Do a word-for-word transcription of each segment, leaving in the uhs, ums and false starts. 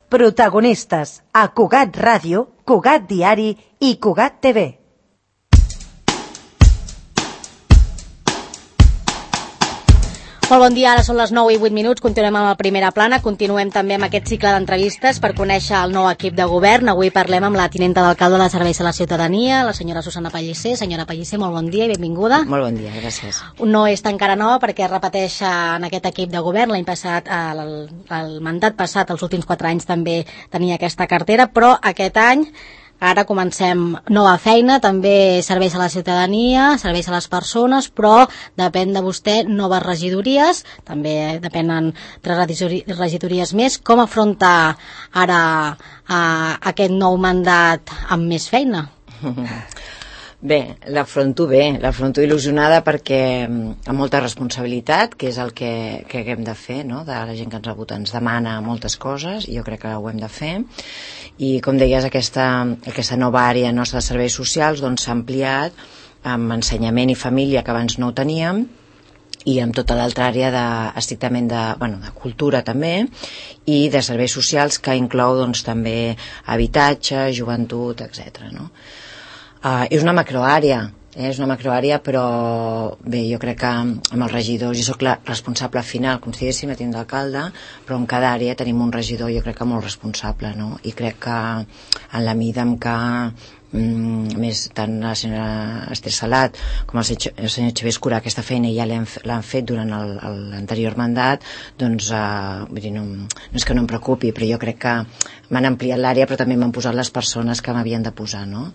Protagonistes a Cugat Ràdio, Cugat Diari i Cugat T V. Molt bon dia, ara són les nou i vuit minuts, continuem amb la primera plana, continuem també amb aquest cicle d'entrevistes per conèixer el nou equip de govern. Avui parlem amb la tinenta d'alcalde de Serveis a la Ciutadania, la senyora Susana Pellicer. Senyora Pellicer, molt bon dia i benvinguda. Molt bon dia, gràcies. No és encara nova perquè es repeteix en aquest equip de govern. L'any passat, el, el mandat passat, els últims quatre anys també tenia aquesta cartera, però aquest any ara comencem nova feina, també serveis a la ciutadania, serveis a les persones, però depèn de vostè noves regidories, també depenen tres regidories més. Com afronta ara uh, aquest nou mandat amb més feina? Bé, l'afronto bé, l'afronto il·lusionada perquè amb molta responsabilitat, que és el que, que hem de fer, no? De la gent que ens vota ens demana moltes coses i jo crec que ho hem de fer. I com deies, aquesta, aquesta nova àrea nostra de serveis socials doncs s'ha ampliat amb ensenyament i família, que abans no ho teníem, i amb tota l'altra àrea de, estrictament de, bueno, de cultura també, i de serveis socials, que inclou doncs, també habitatge, joventut, etcètera, no? Uh, és una macroàrea, eh? és una macroàrea, però bé, jo crec que amb els regidors, jo soc la responsable final, com si diguéssim, la tinent d'alcalde, però en cada àrea tenim un regidor, jo crec que molt responsable, no? I crec que en la mida en què mm, més tant la senyora Esther Salat com el senyor, el senyor Xavier Escurà aquesta feina ja l'han fet durant l'anterior mandat, doncs uh, vull dir, no, no és que no em preocupi, però jo crec que m'han ampliat l'àrea, però també m'han posat les persones que m'havien de posar, no?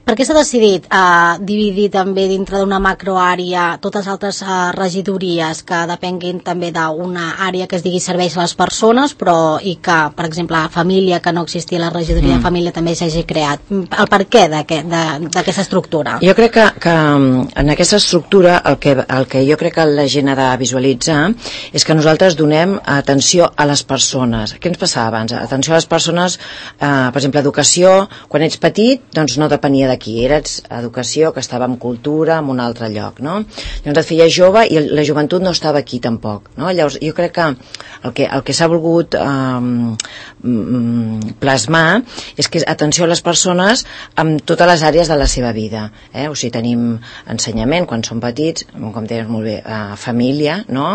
Per què s'ha decidit uh, dividir també dintre d'una macroàrea totes les altres uh, regidories que depenguin també d'una àrea que es digui serveis a les persones, però i que, per exemple, a família, que no existia la regidoria mm. de família, també s'hagi creat? El per què d'aquesta estructura? Jo crec que, que en aquesta estructura el que, el que jo crec que la gent ha de visualitzar és que nosaltres donem atenció a les persones. Què ens passava abans? Atenció a les persones, eh, per exemple, educació, quan ets petit, doncs no depenia de aquí, eres educació, que estava en cultura, en un altre lloc, no? Llavors et feies jove i la joventut no estava aquí tampoc, no? Llavors jo crec que el que, el que s'ha volgut eh, plasmar és que atenció a les persones amb totes les àrees de la seva vida, eh? O sigui, tenim ensenyament quan som petits, com deies molt bé, eh, família, no?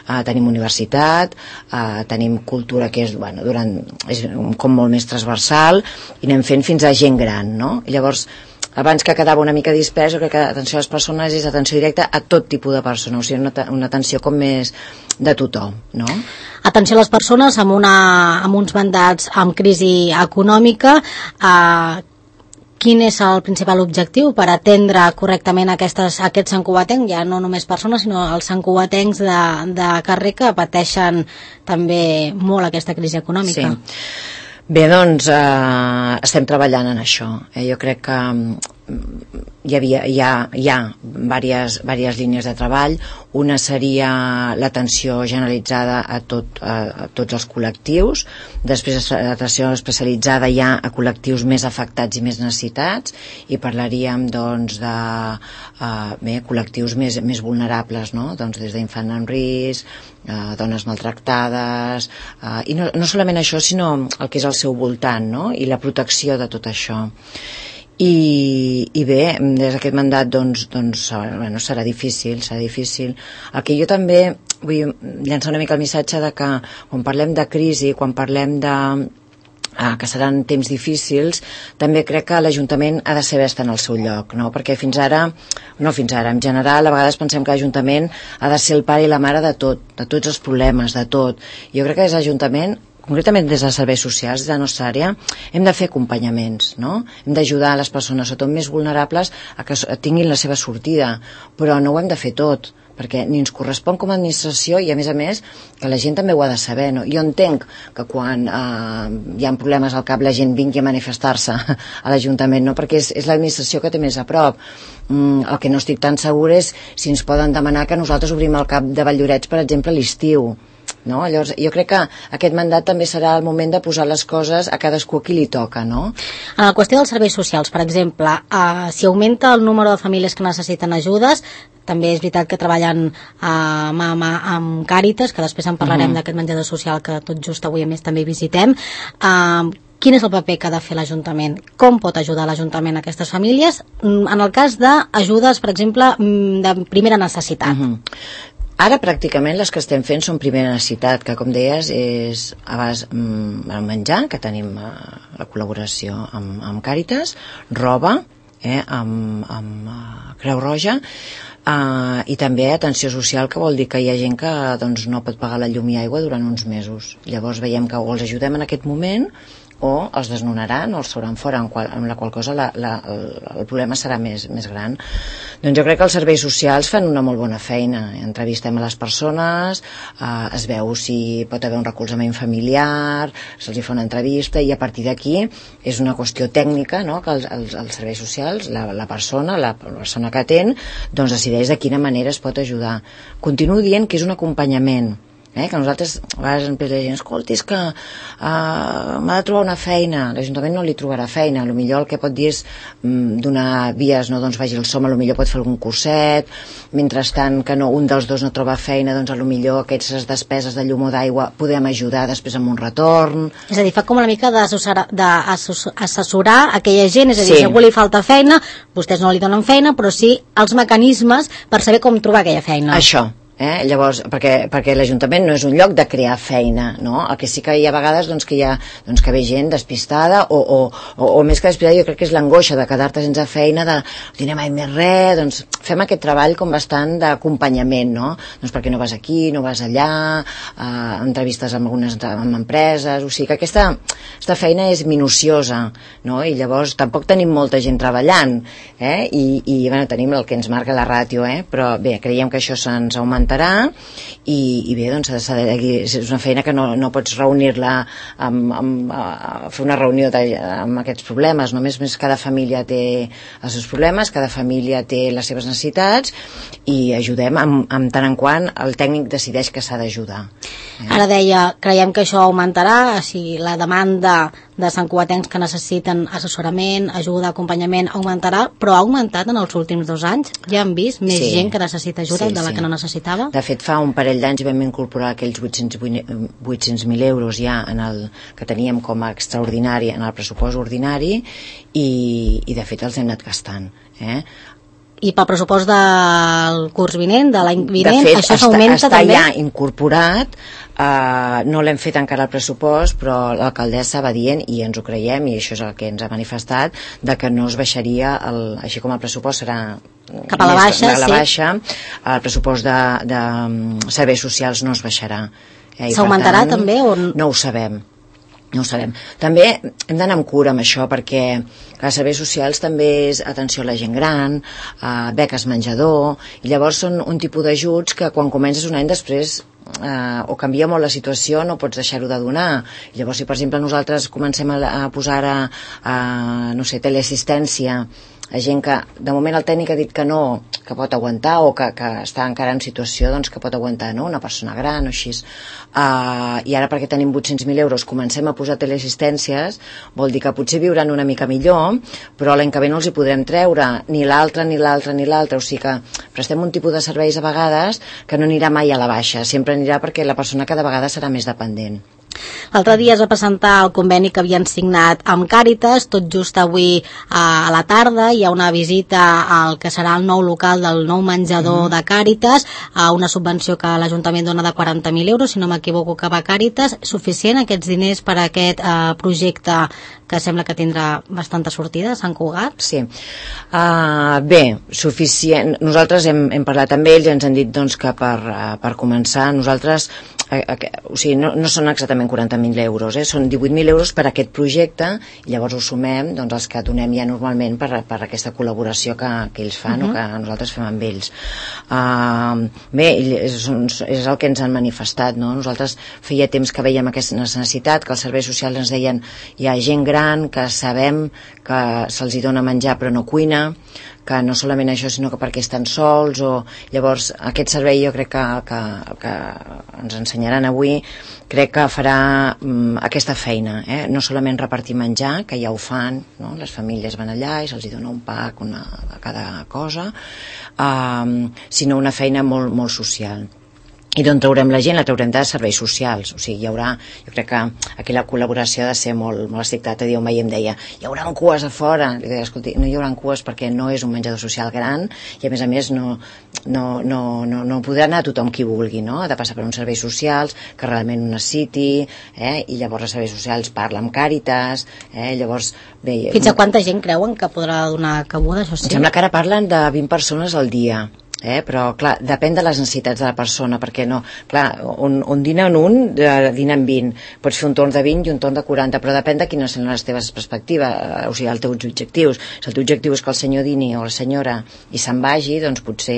Eh, tenim universitat, eh, tenim cultura, que és, bueno, durant, és com molt més transversal, i anem fent fins a gent gran, no? I llavors, abans que quedava una mica dispers, jo crec que atenció a les persones és atenció directa a tot tipus de persona, o sigui, una, una atenció com més de tothom, no? Atenció a les persones amb, una, amb uns mandats amb crisi econòmica. Eh, quin és el principal objectiu per atendre correctament aquestes, aquests santcugatencs, ja no només persones, sinó els santcugatencs de, de carrer que pateixen també molt aquesta crisi econòmica? Sí. Bé, doncs eh, estem treballant en això. Eh? Jo crec que hi havia, hi ha, hi ha diverses, diverses línies de treball. Una seria l'atenció generalitzada a, tot, a, a tots els col·lectius, després l'atenció especialitzada ja a col·lectius més afectats i més necessitats, i parlaríem doncs de uh, bé, col·lectius més, més vulnerables, no? Doncs des d'infant en risc, uh, dones maltractades, uh, i no, no solament això, sinó el que és al seu voltant, no? I la protecció de tot això. I, i bé, des d'aquest mandat doncs, doncs bueno, serà difícil, serà difícil. El que jo també vull llançar una mica el missatge de que quan parlem de crisi, quan parlem de ah, que seran temps difícils, també crec que l'Ajuntament ha de saber estar en el seu lloc, no? Perquè fins ara, no fins ara, en general a vegades pensem que l'Ajuntament ha de ser el pare i la mare de tot, de tots els problemes, de tot. Jo crec que des de l'Ajuntament, concretament des dels serveis socials, des de la nostra àrea, hem de fer acompanyaments, no? Hem d'ajudar les persones, sobretot més vulnerables, a que tinguin la seva sortida, però no ho hem de fer tot, perquè ni ens correspon com a administració, i a més a més que la gent també ho ha de saber, no? Jo entenc que quan eh, hi ha problemes al cap la gent vingui a manifestar-se a l'Ajuntament, no? Perquè és, és l'administració que té més a prop. Mm, el que no estic tan segur és si ens poden demanar que nosaltres obrim el cap de Valldorets, per exemple, a l'estiu, no? Llavors, jo crec que aquest mandat també serà el moment de posar les coses a cadascú a qui li toca, no? En la qüestió dels serveis socials, per exemple, eh, si augmenta el número de famílies que necessiten ajudes, també és veritat que treballen uh, mà a mà amb Càritas, que després en parlarem uh-huh. d'aquest menjador social que tot just avui a més també visitem. Uh, quin és el paper que ha de fer l'Ajuntament? Com pot ajudar l'Ajuntament a aquestes famílies en el cas d'ajudes, per exemple, de primera necessitat? Uh-huh. Ara pràcticament les que estem fent són primera necessitat, que com deies és a base de menjar, que tenim la col·laboració amb, amb Càritas, roba, eh, amb, amb uh, Creu Roja, uh, i també atenció social, que vol dir que hi ha gent que doncs, no pot pagar la llum i aigua durant uns mesos. Llavors veiem que o els ajudem en aquest moment o els desnonaran o els trauran fora, amb, qual, amb la qual cosa la, la, el, el problema serà més, més gran. Doncs jo crec que els serveis socials fan una molt bona feina. Entrevistem a les persones, eh, es veu si pot haver un recolzament familiar, se'ls fa una entrevista, i a partir d'aquí és una qüestió tècnica, no?, que els, els, els serveis socials, la, la persona, la persona que atén, doncs decideix de quina manera es pot ajudar. Continuo dient que és un acompanyament, Eh, que nosaltres a vegades ens la gent, escolti, és que uh, m'ha de trobar una feina, l'Ajuntament no li trobarà feina, a lo millor el que pot dir és um, donar vies, no, doncs vagi al som, a lo millor pot fer algun curset, mentrestant que no, un dels dos no troba feina, doncs a lo millor aquestes despeses de llum o d'aigua podem ajudar després amb un retorn. És a dir, fa com una mica d'assessorar aquella gent, és a dir, sí. si a algú li falta feina, vostès no li donen feina, però sí els mecanismes per saber com trobar aquella feina. Això. Eh? Llavors, perquè, perquè l'Ajuntament no és un lloc de crear feina, no? El que sí que hi ha vegades doncs, que hi ha doncs, que ve gent despistada o, o, o, o més que despistada, jo crec que és l'angoixa de quedar-te sense feina, de no tindré mai més res, doncs fem aquest treball com bastant d'acompanyament, no? Doncs perquè no vas aquí, no vas allà, eh, entrevistes amb algunes amb empreses, o sigui que aquesta, aquesta feina és minuciosa, no? I llavors tampoc tenim molta gent treballant, eh? I, i bueno, tenim el que ens marca la ràtio, eh? Però bé, creiem que això se'ns augmenta i, i bé, doncs és una feina que no, no pots reunir-la amb, amb, a fer una reunió de, amb aquests problemes, només més cada família té els seus problemes, cada família té les seves necessitats i ajudem amb, amb tant en quant el tècnic decideix que s'ha d'ajudar. Eh? Ara deia, creiem que això augmentarà, si la demanda de santcugatencs que necessiten assessorament, ajuda, acompanyament augmentarà, però ha augmentat en els últims dos anys? Ja hem vist més sí. gent que necessita ajuda sí, de la sí. que no necessitava? De fet, fa un parell d'anys vam incorporar aquells vuit-cents mil euros ja en el que teníem com a extraordinari en el pressupost ordinari i, i de fet els hem anat gastant. Eh? I pel pressupost del curs vinent, de l'any vinent, de fet, això s'augmenta està, també? Està ja incorporat, uh, no l'hem fet encara al pressupost, però l'alcaldessa va dient, i ens ho creiem, i això és el que ens ha manifestat, de que no es baixaria, el, així com el pressupost serà cap a la baixa, a la sí. baixa, el pressupost de, de serveis socials no es baixarà. Eh, s'augmentarà també? O... No ho sabem. No ho sabem. També hem d'anar amb cura amb això perquè els serveis socials també és atenció a la gent gran, eh, beques menjador, i llavors són un tipus d'ajuts que quan comences un any després eh, o canvia molt la situació, no pots deixar-ho de donar. I llavors si per exemple nosaltres comencem a, a posar a, a no sé, teleassistència a gent que de moment el tècnic ha dit que no, que pot aguantar o que, que està encara en situació doncs, que pot aguantar, no? Una persona gran o així, uh, i ara perquè tenim vuit-cents mil euros comencem a posar teleassistències, vol dir que potser viuran una mica millor, però l'any que ve no els hi podrem treure ni l'altre, ni l'altre, ni l'altre, o sigui que prestem un tipus de serveis a vegades que no anirà mai a la baixa, sempre anirà perquè la persona cada vegada serà més dependent. L'altre dia es va presentar el conveni que havien signat amb Càritas, tot just avui a la tarda hi ha una visita al que serà el nou local del nou menjador mm. de Càritas, a una subvenció que l'Ajuntament dona de quaranta mil euros, si no m'equivoco que va a Càritas. Suficient aquests diners per a aquest eh, projecte que sembla que tindrà bastanta sortida a Sant Cugat? Sí. Uh, bé, suficient. Nosaltres hem, hem parlat amb ells i ens han dit doncs, que per, uh, per començar nosaltres a, a, o sigui, no, no són exactament quaranta mil euros, eh? Són divuit mil euros per a aquest projecte i llavors ho sumem doncs, els que donem ja normalment per, per aquesta col·laboració que, que ells fan uh-huh. o que nosaltres fem amb ells. Uh, bé, és, és el que ens han manifestat, no? Nosaltres feia temps que veiem aquesta necessitat, que els serveis socials ens deien hi ha gent gran que sabem que se'ls hi dona menjar però no cuina, que no solament això, sinó que perquè estan sols, o llavors aquest servei jo crec que, que, que ens ensenyaran avui, crec que farà um, aquesta feina, eh? No solament repartir menjar, que ja ho fan, no? Les famílies van allà i se'ls dona un pack, una, a cada cosa, um, sinó una feina molt, molt social. I d'on traurem la gent? La traurem de serveis socials, o sigui, hi haurà, jo crec que aquí la col·laboració ha de ser molt, molt estricta. L'altre dia un veí em deia, hi haurà cues a fora, li deia, escolti, no hi haurà cues perquè no és un menjador social gran, i a més a més no, no, no, no, no podrà anar tothom qui vulgui, no? Ha de passar per uns serveis socials que realment ho necessiti, eh? I llavors els serveis socials parla amb Càritas, eh? Llavors bé, fins a quanta gent creuen que podrà donar cabuda, això sí? Em sembla que ara parlen de vint persones al dia. Eh, però clar, depèn de les necessitats de la persona, perquè no, clar, on, on dinen un, eh, dinen vint, pots fer un torn de vint i un torn de quaranta, però depèn de quines són les teves perspectives, eh, o sigui, els teus objectius. Si el teu objectiu és que el senyor dini o la senyora i se'n vagi, doncs potser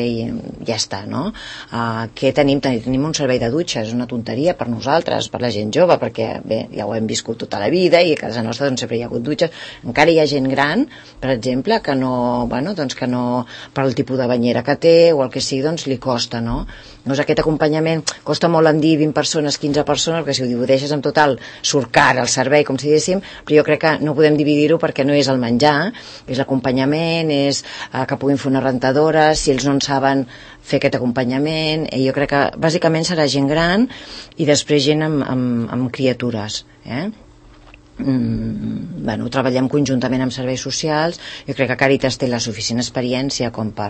ja està, no? Eh, què tenim? Tenim un servei de dutxa, és una tonteria per nosaltres, per la gent jove, perquè bé, ja ho hem viscut tota la vida i a casa nostra doncs sempre hi ha hagut dutxes. Encara hi ha gent gran, per exemple, que no, bueno, doncs que no, per el tipus de banyera que té o el que sigui, doncs li costa, no? Doncs aquest acompanyament costa molt en dir vint persones, quinze persones, perquè si ho divideixes en total surt car el servei, com si diguéssim, però jo crec que no podem dividir-ho perquè no és el menjar, és l'acompanyament, és eh, que puguin fer una rentadora, si ells no en saben fer aquest acompanyament, i jo crec que bàsicament serà gent gran i després gent amb, amb, amb criatures, eh? Mm, bueno, treballem conjuntament amb serveis socials. Jo crec que Càritas té la suficient experiència com per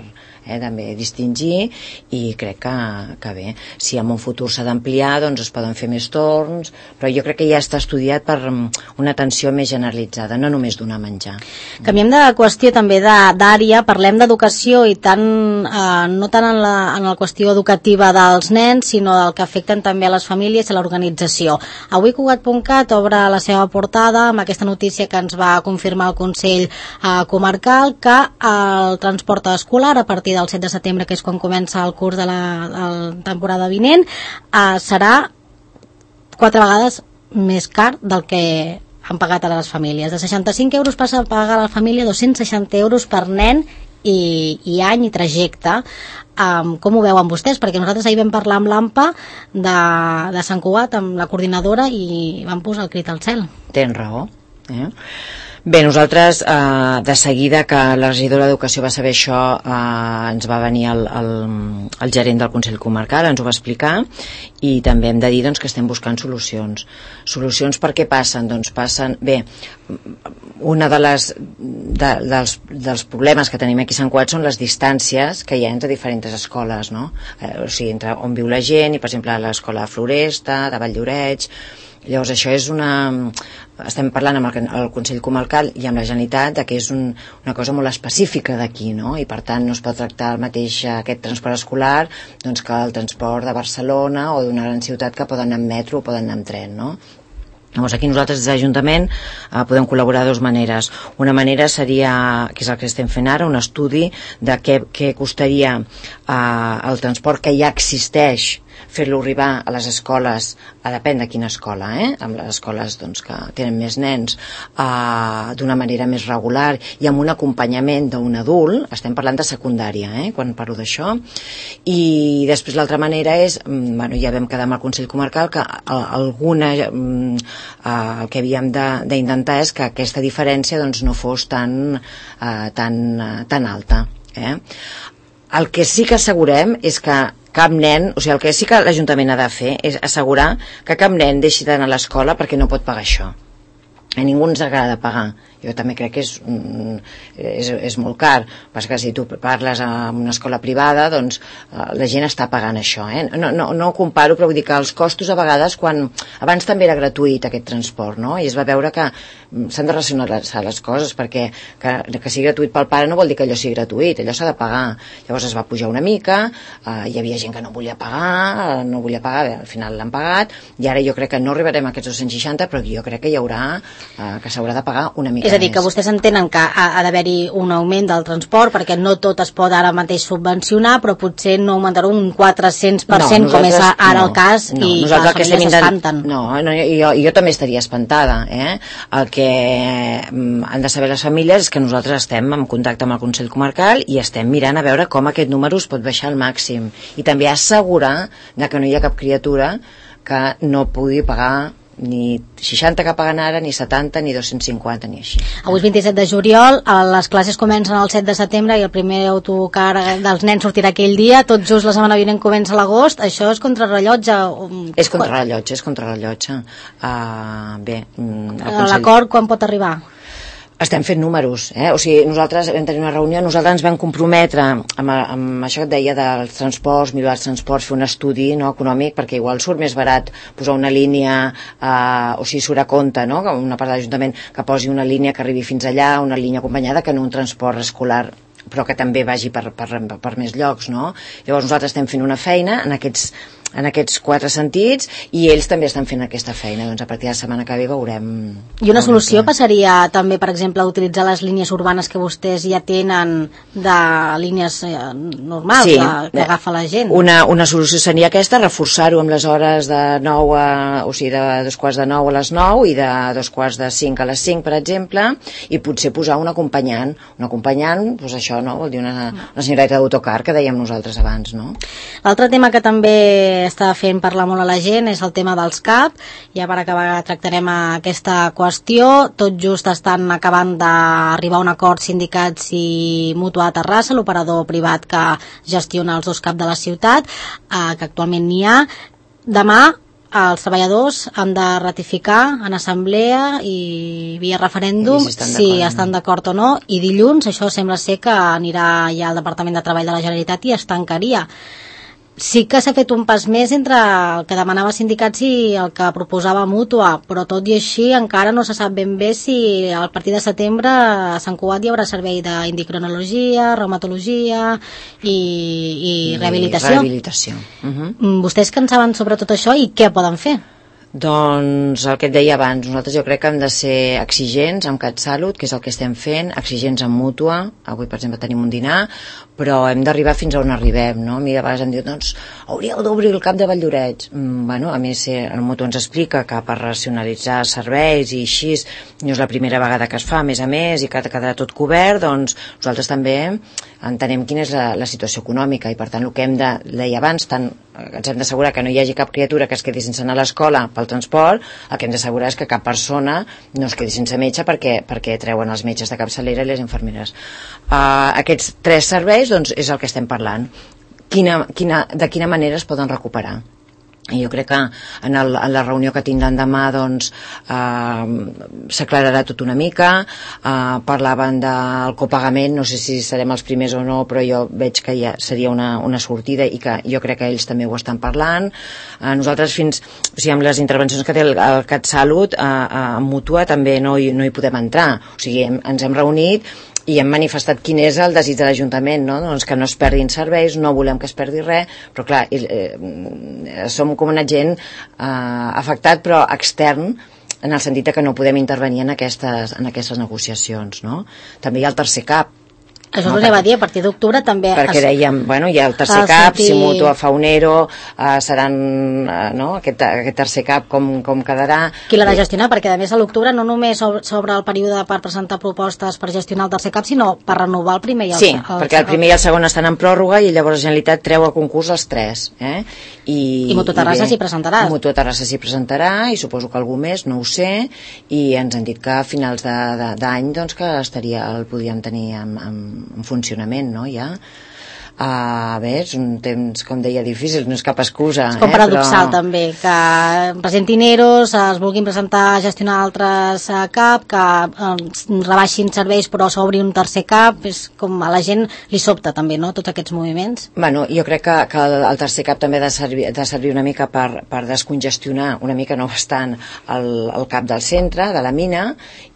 eh, també distingir, i crec que, que bé, si en un futur s'ha d'ampliar doncs es poden fer més torns, però jo crec que ja està estudiat per una atenció més generalitzada, no només donar menjar. Canviem de qüestió també d'àrea, parlem d'educació i tant, eh, no tant en la, en la qüestió educativa dels nens, sinó del que afecten també a les famílies i a l'organització. Avui Cugat punt cat obre la seva portada amb aquesta notícia que ens va confirmar el Consell eh, Comarcal, que el transport escolar a partir del set de setembre, que és quan comença el curs de la, de la temporada vinent, eh, serà quatre vegades més car del que han pagat a les famílies. De seixanta-cinc euros passa a pagar a la família dos-cents seixanta euros per nen i, i any i trajecte. Um, com ho veuen vostès? Perquè nosaltres ahir vam parlar amb l'AMPA de, de Sant Cugat, amb la coordinadora, i vam posar el crit al cel. Tens raó, eh? Bé, nosaltres, eh, de seguida que la regidora d'Educació va saber això, eh, ens va venir el, el, el gerent del Consell Comarcal, ens ho va explicar, i també hem de dir doncs, que estem buscant solucions. Solucions per què passen? Doncs passen... Bé, una de les, de, dels, dels problemes que tenim aquí a Sant Cugat són les distàncies que hi ha entre diferents escoles, no? Eh, o sigui, entre on viu la gent, i per exemple l'escola de Floresta, de Valldoreix. Llavors això és una... Estem parlant amb el, el Consell Comarcal i amb la Generalitat de que és un, una cosa molt específica d'aquí, no? I per tant no es pot tractar el mateix aquest transport escolar doncs, que el transport de Barcelona o d'una gran ciutat que poden anar amb metro o poden anar amb tren, no? Llavors aquí nosaltres des de l'Ajuntament eh, podem col·laborar de dues maneres. Una manera seria, que és el que estem fent ara, un estudi de què, què costaria eh, el transport que ja existeix, fer-lo arribar a les escoles, a depèn de quina escola, eh? Amb les escoles doncs, que tenen més nens, eh, d'una manera més regular i amb un acompanyament d'un adult. Estem parlant de secundària, eh? Quan parlo d'això. I després l'altra manera és, bueno, ja vam quedar amb el Consell Comarcal que alguna, eh, el que havíem d'intentar és que aquesta diferència doncs, no fos tan, eh, tan, tan alta, eh? El que sí que assegurem és que cap nen, o sigui, el que sí que l'Ajuntament ha de fer és assegurar que cap nen deixi d'anar a l'escola perquè no pot pagar això. A ningú ens agrada pagar. Jo també crec que és, és, és molt car. Passa que si tu parles en una escola privada, doncs la gent està pagant això. Eh? No, no, no ho comparo, però vull dir que els costos a vegades, quan abans també era gratuït aquest transport, no? I es va veure que s'han de racionalitzar les coses, perquè que, que sigui gratuït pel pare no vol dir que allò sigui gratuït, allò s'ha de pagar. Llavors es va pujar una mica, eh, hi havia gent que no volia pagar, no volia pagar, bé, al final l'han pagat, i ara jo crec que no arribarem a aquests dos-cents seixanta, però jo crec que hi haurà, eh, que s'haurà de pagar una mica. És a dir, que vostès entenen que ha, ha d'haver-hi un augment del transport, perquè no tot es pot ara mateix subvencionar, però potser no augmentar un quatre-cents per cent, no, com és ara no, el cas, no, i que les famílies s'espanten. No, no jo, jo també estaria espantada. Eh? El que han de saber les famílies és que nosaltres estem en contacte amb el Consell Comarcal i estem mirant a veure com aquest número es pot baixar al màxim. I també assegurar que no hi ha cap criatura que no pugui pagar ni seixanta que paguen ara, ni setanta, ni dos-cents cinquanta, ni així. Avui és vint-i-set de juliol, les classes comencen el set de setembre i el primer autocar dels nens sortirà aquell dia, tot just la setmana vinent comença l'agost. Això és contrarrellotge? És contrarrellotge, és contrarrellotge. Uh, bé, Consell... L'acord quan pot arribar? Estem fent números, eh? O sigui, nosaltres vam tenir una reunió, nosaltres ens vam comprometre amb, amb això que et deia dels transports, millorar els transports, fer un estudi, no, econòmic, perquè igual surt més barat posar una línia, eh, o sigui, surt a compte, no?, una part de l'Ajuntament que posi una línia que arribi fins allà, una línia acompanyada, que no un transport escolar, però que també vagi per, per, per més llocs, no? Llavors nosaltres estem fent una feina en aquests en aquests quatre sentits, i ells també estan fent aquesta feina. Doncs a partir de la setmana que ve veurem... I una solució que... passaria també, per exemple, a utilitzar les línies urbanes que vostès ja tenen, de línies eh, normals, sí, de, que agafa la gent. Una, una solució seria aquesta, reforçar-ho amb les hores de nou a... o sigui, de dos quarts de nou a les nou i de dos quarts de cinc a les cinc, per exemple, i potser posar un acompanyant. Un acompanyant, doncs això, no? Vol dir una, una senyoreta d'autocar, que dèiem nosaltres abans, no? L'altre tema que també està fent parlar molt a la gent és el tema dels C A P. Ja per acabar tractarem aquesta qüestió. Tot just estan acabant d'arribar a un acord sindicats i Mútua de Terrassa, l'operador privat que gestiona els dos C A P de la ciutat, eh, que actualment n'hi ha. Demà els treballadors han de ratificar en assemblea i via referèndum si estan, si estan d'acord o no, i dilluns això sembla ser que anirà ja al Departament de Treball de la Generalitat i es tancaria. Sí que s'ha fet un pas més entre el que demanava sindicats i el que proposava Mútua, però tot i així encara no se sap ben bé si a partir de setembre a Sant Cugat hi haurà servei d'endocrinologia, reumatologia i, i, i rehabilitació. rehabilitació. Uh-huh. Vostès que en saben sobre tot això i què poden fer? Doncs el que et deia abans, nosaltres jo crec que hem de ser exigents amb CatSalut, que és el que estem fent, exigents amb Mútua. Avui, per exemple, tenim un dinar, però hem d'arribar fins a on arribem, no? A mi de vegades em diuen, doncs, hauríeu d'obrir el CAP de Valldoreix. Mm, bueno, a més, el Mútua ens explica que per racionalitzar serveis i així, no és la primera vegada que es fa, a més a més, i que quedarà tot cobert, doncs nosaltres també entenem quina és la, la situació econòmica, i per tant el que hem de, deia abans, tant ens hem d'assegurar que no hi hagi cap criatura que es quedi sense anar a l'escola pel transport, el que hem d'assegurar és que cap persona no es quedi sense metge perquè, perquè treuen els metges de capçalera i les infermeres. Uh, aquests tres serveis, doncs, és el que estem parlant. Quina, quina, de quina manera es poden recuperar? I jo crec que en, el, en la reunió que tindran demà, doncs, eh, s'aclararà tot una mica. Eh, parlaven del copagament, no sé si serem els primers o no, però jo veig que ja seria una, una sortida, i que jo crec que ells també ho estan parlant. Eh, nosaltres fins, o sigui, amb les intervencions que té el, el CatSalut, eh, eh, en Mútua també no hi, no hi podem entrar. O sigui, hem, ens hem reunit i hem manifestat quin és el desig de l'Ajuntament, no? Doncs que no es perdin serveis, no volem que es perdi res, però clar, eh, som com un agent eh, afectat, però extern, en el sentit que no podem intervenir en aquestes, en aquestes negociacions, no? També hi ha el tercer C A P. Això no, us ho anava a dir, a partir d'octubre també... Perquè dèiem, bueno, hi ha el tercer C A P, sentir... si Mútua fa un ERO, eh, seran, eh, no?, aquest, aquest tercer C A P com, com quedarà... Qui l'ha de gestionar? Perquè a més a l'octubre no només s'obre el període per presentar propostes per gestionar el tercer C A P, sinó per renovar el primer i el Sí, el, perquè el primer i el segon estan en pròrroga i llavors la Generalitat treu a concurs els tres. Eh? I, I Mútua Terrassa s'hi presentarà. Mútua Terrassa s'hi presentarà, i suposo que algú més, no ho sé, i ens han dit que a finals d'any doncs, que estaria, el podíem tenir en, en, en funcionament, no, ja. Uh, bé, és un temps, com deia, difícil, no és cap excusa. És com eh, paradoxal, però... també, que presentin EROs, es vulguin presentar a gestionar altres C A P, que eh, rebaixin serveis però s'obri un tercer C A P, és com a la gent li sobta també, no?, tots aquests moviments. Bueno, jo crec que, que el tercer C A P també ha de servir, de servir una mica per, per descongestionar una mica, no bastant, el, el cap del centre, de la mina,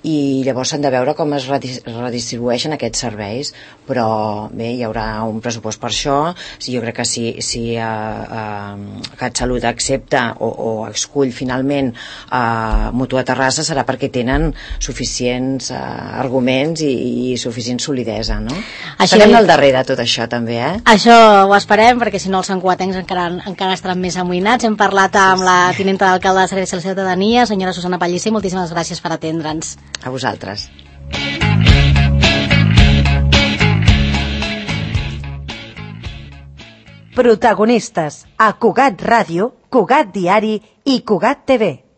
i llavors s'han de veure com es redistribueixen aquests serveis, però bé, hi haurà un pressupost fos per això, si jo crec que si, si uh, uh, CatSalut accepta o, o escull finalment uh, Mutua Terrassa serà perquè tenen suficients uh, arguments i, i suficient solidesa, no? Això estarem al darrere tot això també, eh? Això ho esperem, perquè si no els santcugatencs encara, encara estaran més amoïnats. Hem parlat amb la tinenta d'alcalde de Serveis de la Ciutadania, senyora Susana Pellicer. Moltíssimes gràcies per atendre'ns. A vosaltres. Protagonistes a Cugat Ràdio, Cugat Diari i Cugat T V.